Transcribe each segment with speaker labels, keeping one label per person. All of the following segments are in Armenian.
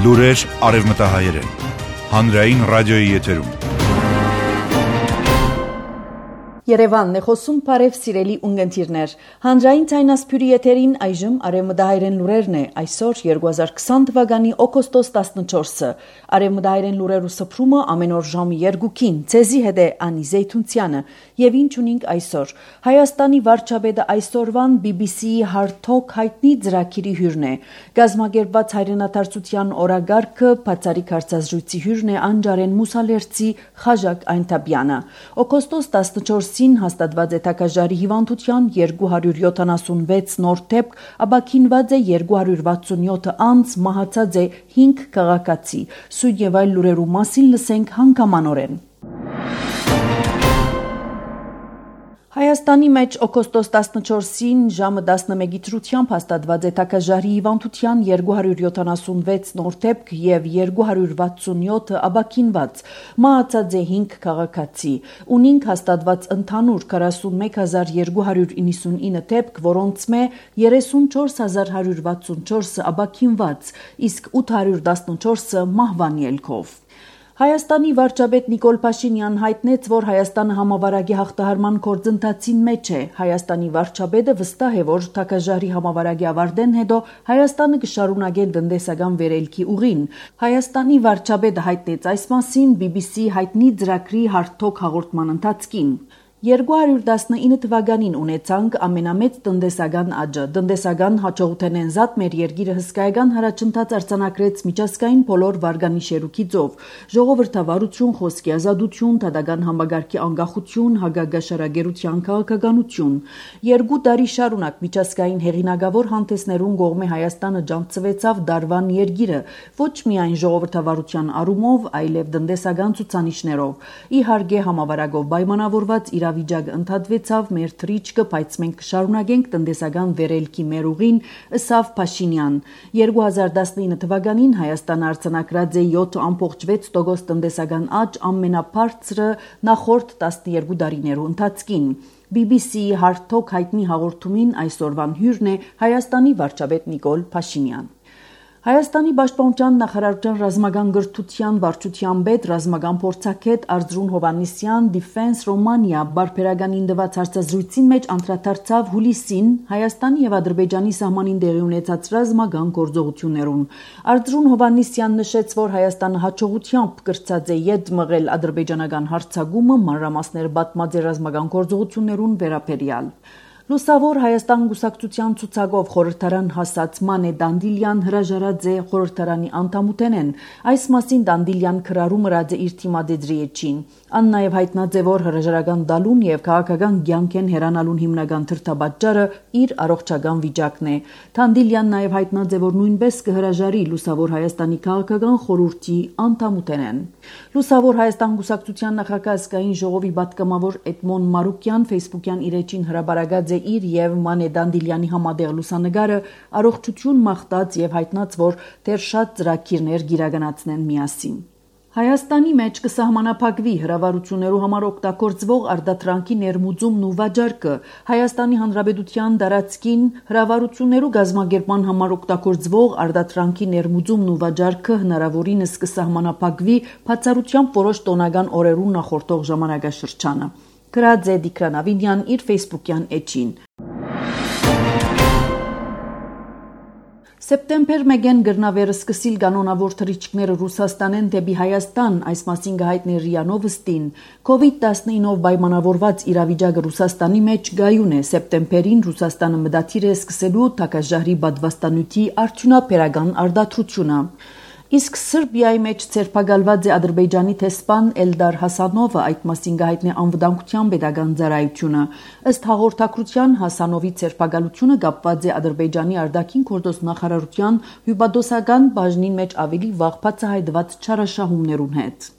Speaker 1: Լուրեր արևմտահայերեն։ Հանրային ռադիոյի եթերում։
Speaker 2: Երևանն է խոսում բարև սիրելի ունգընտիրներ։ Հանրային ցայնասփյուրի եթերին այժմ արևմտահայերեն լուրերն է։ Այսօր 2020 թվականի օգոստոս 14-ը։ Արևմտահայերեն լուրերու սփռումը ամեն օր ժամը 2-ին։ Ցեզի հետ է Անի Զեյթունցյանը։ Եվ ինչ ունենք այսօր։ Հայաստանի վարչապետը այսօրվան BBC-ի հարթակ հայտնի ծրագիրի հյուրն է։ Գազམ་ակերպված հայրենադարձության օրագարկը բացառիկ հարցազրույցի հյուրն է Անջարեն Մուսալերցի Խաժակ Այնթաբյանը։ Օգոստոս 14-ին հաստատված է Թակաժարի հիվանդության 276 նոր դեպք, ապաքինված է 267 անձ, մահացած է 5 քաղաքացի։ Սույն եւ այլ լուրերու մասին լսենք հանգամանորեն։ Հայաստանի մեջ օգոստոս 14-ին ժամը 11-ի դրությամբ հաստատված է Թակաժարի հիվանդության 276 նոր դեպք եւ 267 ապաքինված, մահացած է 5 քաղաքացի։ Ունենք հաստատված ընդհանուր 41299 դեպք, որոնց մե 34164 ապաքինված, իսկ 814-ը մահվան ելքով։ Հայաստանի վարչապետ Նիկոլ Փաշինյան հայտնեց, որ Հայաստանը համավարակի հաղթահարման գործընթացին մեջ է։ Հայաստանի վարչապետը վստահ է, որ Թակաժարի համավարակի ավարտեն հետո Հայաստանը կշարունակի տնտեսական վերելքի ուղին։ Հայաստանի վարչապետը հայտնեց այս մասին BBC հայտնի ծրագրի հարթակ հաղորդման ընթացքին։ 2019 թվականին ունեցանք ամենամեծ տնտեսական աճը։ Տնտեսական հաջողութենեն զատ մեր երկիրը հսկայական հարաճընթաց արձանագրեց միջազգային բոլոր վարկանիշերուքիցով՝ ժողովրդավարություն, խոսքի ազատություն, դատական համագարկի անկախություն, հագագաշարագերության քաղաքականություն։ 2 տարի շարունակ միջազգային հեղինակավոր հանդեսներուն կողմէ Հայաստանը ջանցվեցավ դարվան երկիրը, ոչ միայն ժողովրդավարության առումով, այլև տնտեսական ցուցանիշներով։ Իհարկե համավարակով պայմանավորված իրավիճակը ընդհատվեցավ մեր թրիչքը, բայց մենք կշարունակենք տնտեսական վերելքի մեր ուղին, ըսավ Փաշինյան։ 2019 թվականին Հայաստանը արձանագրած է 7.6% տնտեսական աճ, ամենաբարձրը նախորդ 12 տարիներու ընթացքին։ BBC-ի հարթակ հայտնի հաղորդումին այսօրվան հյուրն է Հայաստանի վարչապետ Նիկոլ Փաշինյան։ Հայաստանի պաշտպանության նախարարության ռազմական գրթության վարչության պետ ռազմական փորձագետ Արծրուն Հովհաննիսյան Defense Romania բարբերականին տված հարցազրույցին մեջ անդրադարձավ հուլիսին Հայաստանի եւ Ադրբեջանի սահմանին տեղի ունեցած ռազմական գործողություններուն։ Արծրուն Հովհաննիսյան նշեց, որ Հայաստանը հաջողությամբ կրծած է յետ մղել ադրբեջանական հարձակումը մանրամասներ պատմած է ռազմական գործողություններուն վերաբերյալ։ Լուսավոր Հայաստան գուսակցության ցուցակով խորհրդարան հասած Մանե Դանդիլյան հրաժարած է խորհրդարանի անդամութենեն։ Այս մասին Դանդիլյան քրարում ըրած է իր թիմադեձրի էջին։ Ան նաև հայտնած է, որ հրաժարական դալուն եւ քաղաքական կյանքեն հեռանալուն հիմնական թրթաբաճառը իր առողջական վիճակն է։ Դանդիլյան նաև հայտնած է, որ նույնպես կհրաժարի Լուսավոր Հայաստանի քաղաքական խորհրդի անդամութենեն։ Լուսավոր Հայաստան գուսակցության նախագահ ազգային ժողովի պատգամավոր Էդմոն Մարուկյան Facebook-յան իր էջին հրաբարագած իր եւ Մանե Դանդիլյանի համատեղ լուսանգարը առողջություն մաղթած եւ հայտնած, որ դեռ շատ ծրագիրներ գիրականացնեն միասին։ Հայաստանի մեջ կսահմանափակվի հրավառություններու համար օգտագործվող արտադրանքի ներմուծումն ու վաճառքը։ Հայաստանի Հանրապետության տարածքին հրավառություններու գազམ་ակերպման համար օգտագործվող արտադրանքի ներմուծումն ու վաճառքը հնարավորինս կսահմանափակվի բացառությամբ որոշ տոնական օրերուն նախորդող ժամանակաշրջանը։ Գրած է Դիկրան Ավինյան իր Facebook-յան էջին։ Սեպտեմբեր 1-ին գրնավերը սկսիլ կանոնավոր թռիչքները Ռուսաստանեն դեպի Հայաստան, այս մասին կհայտնի ՌԻԱ Նովոստին։ COVID-19-ով պայմանավորված իրավիճակը Ռուսաստանի մեջ գայուն է։ Սեպտեմբերին Ռուսաստանը մտադիր է սկսելու Թակաժարի պատվաստանյութի արդյունաբերական արտադրությունը։ Իսկ Սրբիայի մեջ ցերպակալված է Ադրբեջանի տեսփան Էլդար Հասանովը, այդ մասին կհայտնի անվտանգության պետական ծառայությունը։ Ըստ հաղորդակցության Հասանովի ցերպակալությունը կապված է Ադրբեջանի արտաքին գործոս նախարարության հյուպատոսական բաժնին մեջ ավելի վաղ բացահայտված չարաշահումներուն հետ։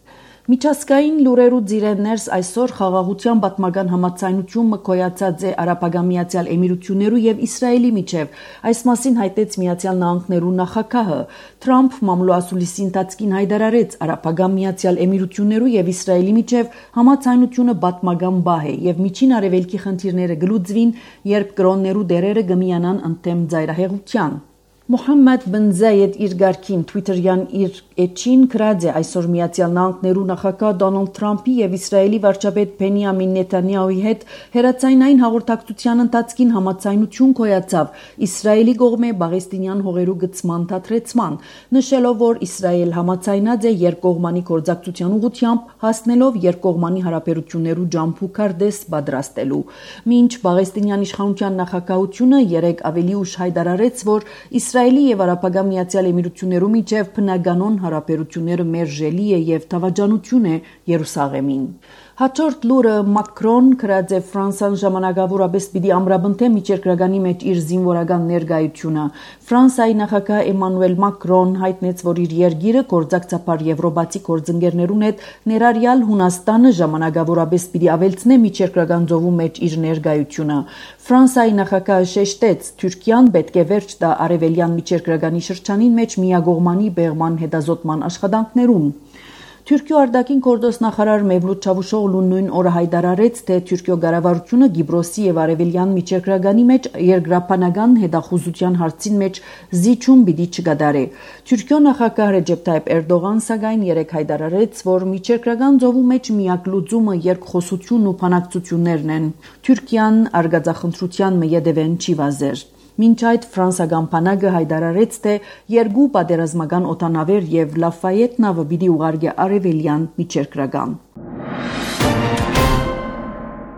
Speaker 2: Միջազգային լուրերու ձիրերներս այսօր խաղաղության պատմական համաձայնություն մկոյացած է Արաբական Միացյալ Էմիրություններու եւ Իսրայելի միջև։ Այս մասին հայտեց Միացյալ Նահանգներու նախագահը։ Թրամփ մամլոասուլիսի ընթացքին հայտարարեց Արաբական Միացյալ Էմիրություններու եւ Իսրայելի միջև համաձայնությունը պատմական բահ է եւ միջին արևելքի խնդիրները գլուծվին, երբ կրոններու դերերը կմիանան ընդդեմ ծայրահեղության։ Մոհամմեդ բն Զայեդ իր գարքին Twitter-յան իր էջին գրած է այսօր Միացյալ Նահանգներու նախագահ Դոնալդ Թրամփի եւ Իսրայելի վարչապետ Բենյամին Նեթանյահուի հետ հերացայնային հաղորդակցության ընթացքին համաձայնություն կոյացավ Իսրայելի կողմէ Պաղեստինյան հողերու գծման դադրեցման, նշելով, որ Իսրայել համաձայնած է երկկողմանի գործակցության ուղղությամբ հասնելով երկկողմանի հարաբերություններու ջամփու քարտեզ պատրաստելու։ Մինչ Պաղեստինյան իշխանության նախագահությունը երեկ ավելի ուշ հայտարարեց, որ Իսրայելի եւ Արաբական Միացյալ Էմիրություններու միջև բնականon հարաբերությունները մերժելի է եւ դավաճանություն է Երուսաղեմին։ Հաջորդ լուրը Մակրոն գրած է Ֆրանսան ժամանակավորապես պիտի ամրապնդե միջերկրականի մեջ իր զինվորական ներկայությունը։ Ֆրանսիայի նախագահ Էմանուել Մակրոն հայտնեց, որ իր երկիրը գործակցաբար եվրոպացի գործընկերներուն հետ ներառյալ Հունաստանը ժամանակավորապես պիտի ավելցնե միջերկրական ծովու մեջ իր ներկայությունը։ Ֆրանսիայի նախագահը շեշտեց, Թուրքիան պետք է վերջ տա արևելյան միջերկրականի շրջանին մեջ միակողմանի բեղման հետազոտման աշխատանքներուն։ Թուրքիո արտաքին գործոստ նախարար Մևլութ Չավուշօղլուն նույն օրը հայտարարեց, թե Թուրքիո կառավարությունը Կիպրոսի եւ արևելյան միջերկրականի մեջ երկրաբանական հետախուզության հարցին մեջ զիջում պիտի չկատարի։ Թուրքիո նախագահ Ռեջեփ Թայիփ Էրդողան սակայն երեկ հայտարարեց, որ միջերկրական ծովու մեջ միակ լուծումը երկխոսությունն ու բանակցություններն են։ Թուրքիան արգածախնդրության մեյեդևեն չի վազեր։ Մինչ այդ ֆրանսական բանակը հայտարարեց, թե երկու պատերազմական օդանավեր եւ Լաֆայետ նավը պիտի ուղարկի արևելյան միջերկրական։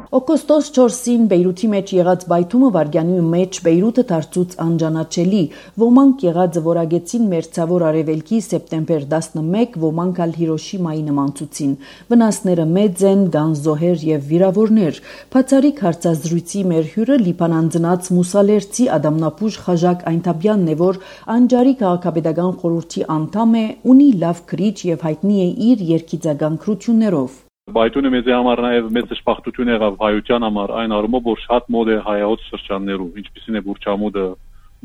Speaker 2: Օգոստոս 4-ին Բեյրութի մեջ եղած բայթումը վարգյանի մեջ Բեյրութը դարձուց անջանաչելի։ Ոմանք եղածը որագեցին մերձավոր արևելքի սեպտեմբեր 11, ոմանք ալ Հիրոշիմայի նմանցուցին։ Վնասները մեծ են, կան զոհեր եւ վիրավորներ։ Բացառիկ հարցազրույցի մեր հյուրը Լիբանան ծնած մուսալերցի Ադամնապուժ Խաժակ Այնթաբյանն է, որ անջարի քաղաքապետական խորհրդի անդամ է, ունի լավ քրիչ եւ հայտնի է իր երկիծական քրություններով։
Speaker 3: Բայթունը մեզ համար նաև մեծ շփախտություն եղավ հայության համար այն առումով, որ շատ մոդ է հայոց շրջաններում, ինչպիսին է Բուրչամուդը,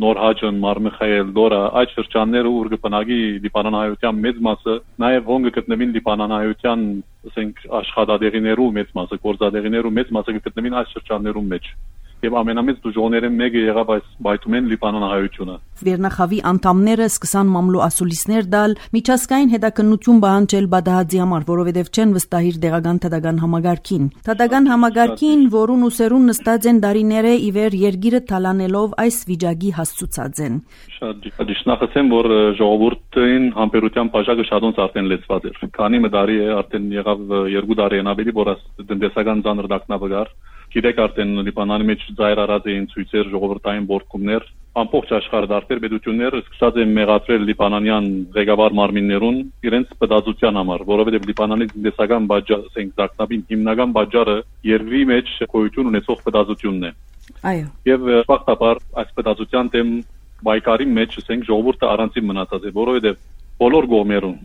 Speaker 3: Նոր Հաջն, Մարմիխայել, Դորա, այդ շրջանները ուր կպնակի լիբանանահայության մեծ մասը, նաև ոնգը գտնվին լիբանանահայության, ասենք աշխատադեղիներու մեծ մասը, գործադեղիներու մեծ մասը գտնվին այս շրջաններում մեջ։ Եվ ամենամեծ դժողները մեկը եղավ այս բայթումեն լիբանանահայությունը։
Speaker 2: Վերնախավի անդամները սկսան մամլո ասուլիսներ դալ, միջազգային հետաքննություն պահանջել Բադահաձի համար, որովհետև չեն վստահիր տեղական թադական համագարքին։ Թադական համագարքին, որուն ուսերուն նստած են դարիները ի վեր երկիրը թալանելով այս վիճակի հասցուցած են։
Speaker 3: Շատ դիշնախսեմ, որ ժողովուրդին համբերության բաժակը շատոնց արդեն լեցված էր։ Քանի մդարի է արդեն եղավ 2 տարի են ավելի, որ տնտեսական ծանր դակնավար Գիտեք արդեն Լիբանանի մեջ ծայր արած էին ցույցեր, ժողովրդային բորկումներ, ամբողջ աշխարհը դարբեր պետությունները սկսած են մեղադրել լիբանանյան ղեկավար մարմիններուն իրենց պատասխանության համար, որովհետև Լիբանանի տնտեսական բաժարը, ասենք դակնաբին հիմնական բաժարը երկրի մեջ գոյություն ունեցող պատասխանությունն է։
Speaker 2: Այո։
Speaker 3: Եվ ֆակտաբար այս պատասխանության դեմ բայկարի մեջ, ասենք ժողովուրդը առանցին մնացած է, որովհետև բոլոր կողմերուն,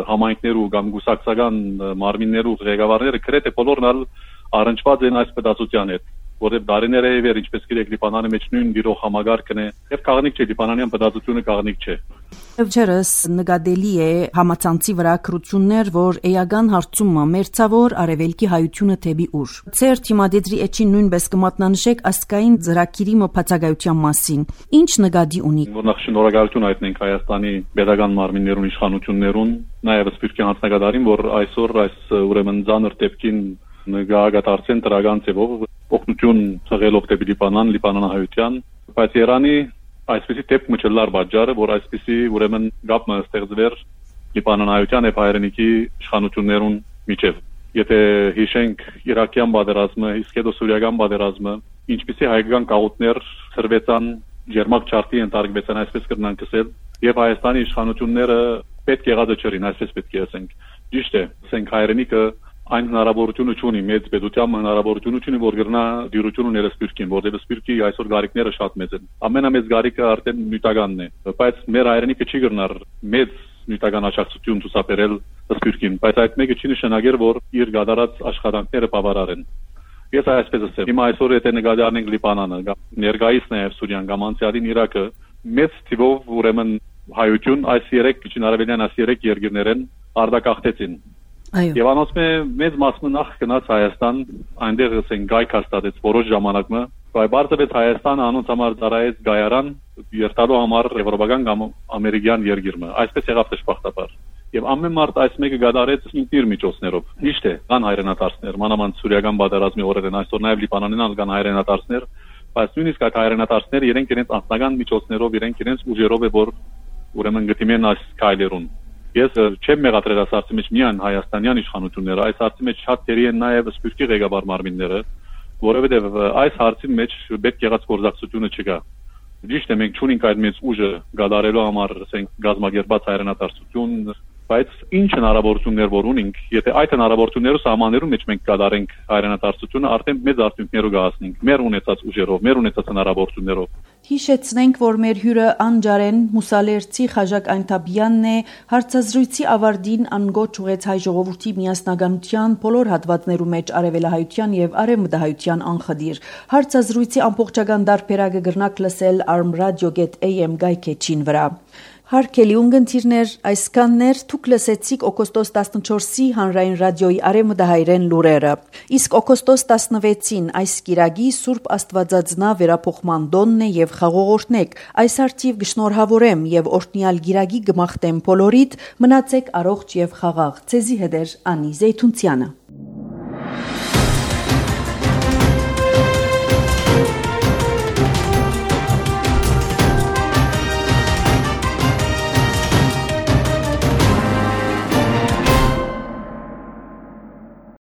Speaker 3: համայնքներու կամ գուսակցական մարմիններու ղեկավարները գրեթե բոլորն առնչված են այս պատասխանության հետ, որտեղ դարիներ է վեր ինչպես գիտեք Լիբանանի մեջ նույն դիրող համագարկն է, եւ քաղաքնիկ չէ լիբանանյան պատասխանությունը քաղաքնիկ չէ։
Speaker 2: Եվջերս նկատելի է համացանցի վրա քրություններ, որ էական հարցումը մերձավոր արևելքի հայությունը թեպի ուր։ Ձեր թիմադեդրի էջին նույնպես կմատնանշեք ասկային ծրագիրի մփացակայության մասին։ Ինչ նկատի ունի։
Speaker 3: Որ նախ շնորհակալություն հայտնենք Հայաստանի pedagogan մարմիններուն իշխանություններուն, նաեւ սպիրկյան հանձնագետարին, որ այսօր այս ուրեմն ցաներ տեպքին նկատարկեն դրական ձևով օգնություն ցեղելով դեպի Լիբանանահայության, բայց Իրանի այսպիսի դեպք չլար բաժարը, որ այսպիսի ուրեմն գապը ստեղծվեր Լիբանանահայության եւ հայրենիքի իշխանություններուն միջև։ Եթե հիշենք Իրաքյան պատերազմը, իսկ հետո Սուրիական պատերազմը, ինչպիսի հայկական գաղութներ ծրվեցան, ջերմակ չարտի ընտարգվեցան, այսպես կրնանք ասել, եւ Հայաստանի իշխանությունները պետք եղածը չրին, այսպես պետք է ասենք։ Ճիշտ է, ասենք հայրենիքը այն հնարավորությունը ունի մեծ պետությամբ հնարավորությունը ունի որ գրնա դյուրություն ուներ սպիրկին, որտեղ սպիրկի այսօր գարիկները շատ մեծ են։ Ամենամեծ գարիկը արդեն նյութականն է, բայց մեր հայրենիքը չի գրնար մեծ նյութական աջակցություն ցուցաբերել սպիրկին, բայց այդ մեկը չի նշանակեր որ իր գադարած աշխատանքները բավարար են։ Ես այսպես ասեմ, հիմա այսօր եթե նկատի առնենք Լիբանանը, ներկայիս նաև Սուրիան կամ անցյալին Իրաքը, մեծ թիվով ուրեմն հայություն այս 3 քիչ արևելյան այս 3 երկրներեն արտակախտեցին։ Եվ անոնց մեծ մասը նախ գնաց Հայաստան, այնտեղ ասենք գայք հաստատեց որոշ ժամանակը, Բայց բարձրացած Հայաստանը անոնց համար ծառայեց գայարան երթալու համար եվրոպական կամ ամերիկյան երկիրը։ Այսպես եղավ դժբախտաբար։ Եվ ամեն մարդ այս մեկը գդարեց ինքնիր միջոցներով։ Միշտ է կան հայրենատարածքներ, մանավանդ սուրիական պատերազմի օրերին, այսօր նաև Լիբանանին կան հայրենատարածքներ, բայց նույնիսկ այդ հայրենատարածքները իրենք իրենց անձնական միջոցներով, իրենք իրենց ուժերով է որ ուրեմն գտիմեն այս քայլերուն։ Ես չեմ մեղադրել այս հարցի մեջ միայն հայաստանյան իշխանությունները, այս հարցի մեջ շատ դերի են նաև սպիրկի ղեկավար մարմինները, որովհետև այս հարցի մեջ պետք եղած գործակցությունը չկա։ Ճիշտ է, մենք չունենք այդ մեծ ուժը գադարելու համար, ասենք, գազམ་ագերբած հայրենատարածություն, բայց ինչ հնարավորություններ որ ունենք, եթե այդ հնարավորությունները սահմաններում մեջ մենք կատարենք հայրենատարածությունը, արդեն մեծ արդյունքներով կհասնենք, մեր ունեցած ուժերով, մեր ունեցած հնարավորություններով։
Speaker 2: Հիշեցնենք, որ մեր հյուրը անջարեն Մուսալերցի Խաժակ Այնթաբյանն է, հարցազրույցի ավարտին անգոչ ուղեց հայ ժողովրդի միասնականության բոլոր հատվածներու մեջ արևելահայության եւ արևմտահայության անխդիր։ Հարցազրույցի ամբողջական դարբերակը գրնակ լսել armradio.am գայքեչին վրա։ Հարկելի ունգընտիրներ, այսքաններ թուք լսեցիք օգոստոս 14-ի հանրային ռադիոյի արևմտահայերեն լուրերը։ Իսկ օգոստոս 16-ին այս կիրագի Սուրբ Աստվածածնա վերափոխման դոնն է եւ խաղողորտնեք։ Այս արդիվ գշնորհավորեմ եւ օրհնյալ գիրագի գմախտեմ բոլորիդ, մնացեք առողջ եւ խաղաղ։ Ցեզի հետ Անի Զեյթունցյանը։